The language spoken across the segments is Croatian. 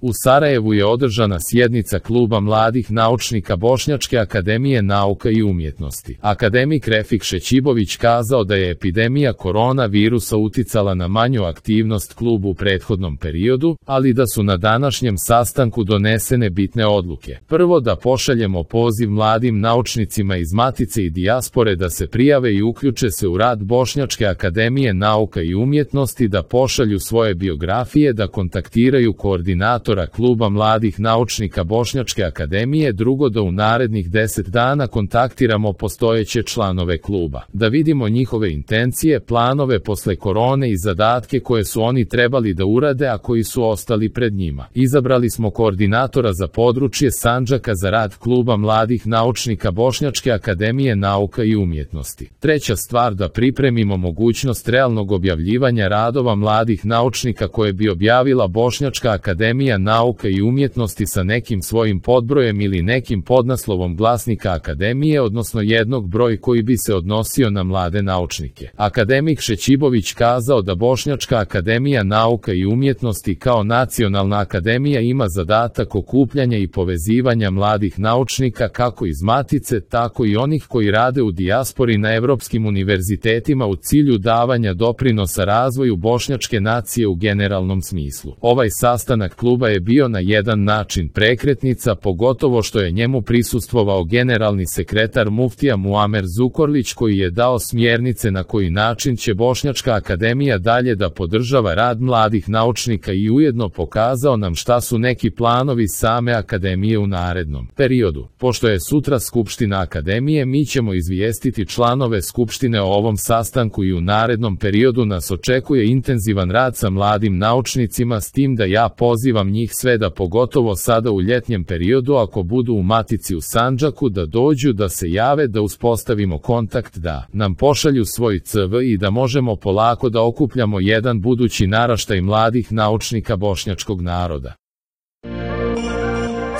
U Sarajevu je održana sjednica Kluba mladih naučnika Bošnjačke akademije nauka i umjetnosti. Akademik Refik Šećibović kazao da je epidemija koronavirusa uticala na manju aktivnost klubu u prethodnom periodu, ali da su na današnjem sastanku donesene bitne odluke. Prvo, da pošaljemo poziv mladim naučnicima iz Matice i dijaspore da se prijave i uključe se u rad Bošnjačke akademije nauka i umjetnosti, da pošalju svoje biografije, da kontaktiraju koordinatora Kluba mladih naučnika Bošnjačke akademije. Drugo, da u narednih 10 dana kontaktiramo postojeće članove kluba, da vidimo njihove intencije, planove posle korone i zadatke koje su oni trebali da urade, a koji su ostali pred njima. Izabrali smo koordinatora za područje Sandžaka za rad Kluba mladih naučnika Bošnjačke akademije nauka i umjetnosti. Treća stvar, da pripremimo mogućnost realnog objavljivanja radova mladih naučnika koje bi objavila Bošnjačka akademija nauka i umjetnosti sa nekim svojim podbrojem ili nekim podnaslovom glasnika akademije, odnosno jednog broj koji bi se odnosio na mlade naučnike. Akademik Šećibović kazao da Bošnjačka akademija nauka i umjetnosti kao nacionalna akademija ima zadatak okupljanja i povezivanja mladih naučnika kako iz Matice, tako i onih koji rade u dijaspori na evropskim univerzitetima u cilju davanja doprinosa razvoju bošnjačke nacije u generalnom smislu. Ovaj sastanak kluba je bio na jedan način prekretnica, pogotovo što je njemu prisustvovao generalni sekretar muftija Muamer Zukorlić, koji je dao smjernice na koji način će Bošnjačka akademija dalje da podržava rad mladih naučnika i ujedno pokazao nam šta su neki planovi same akademije u narednom periodu. Pošto je sutra skupština akademije, mi ćemo izvijestiti članove skupštine o ovom sastanku i u narednom periodu nas očekuje intenzivan rad sa mladim naučnicima, s tim da ja pozivam njih sve da pogotovo sada u ljetnjem periodu, ako budu u Matici u Sandžaku, da dođu, da se jave, da uspostavimo kontakt, da nam pošalju svoj CV i da možemo polako da okupljamo jedan budući naraštaj mladih naučnika bošnjačkog naroda.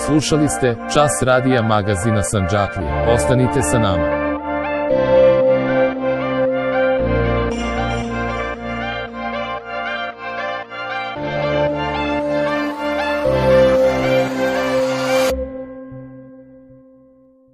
Slušali ste Čas radija magazina Sandžaklije. Ostanite sa nama.